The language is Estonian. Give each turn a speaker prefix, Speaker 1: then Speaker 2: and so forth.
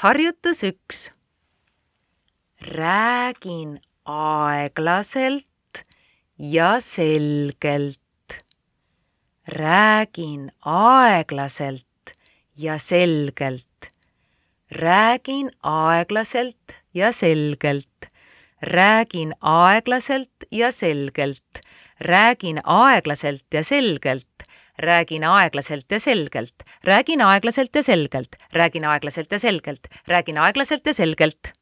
Speaker 1: Harjutus 1. Räägin aeglaselt ja selgelt. Räägin aeglaselt ja selgelt. Räägin aeglaselt ja selgelt. Räägin aeglaselt ja selgelt. Räägin aeglaselt ja selgelt. Räägin aeglaselt ja selgelt. Räägin aeglaselt ja selgelt. Räägin aeglaselt ja selgelt. Räägin aeglaselt ja selgelt.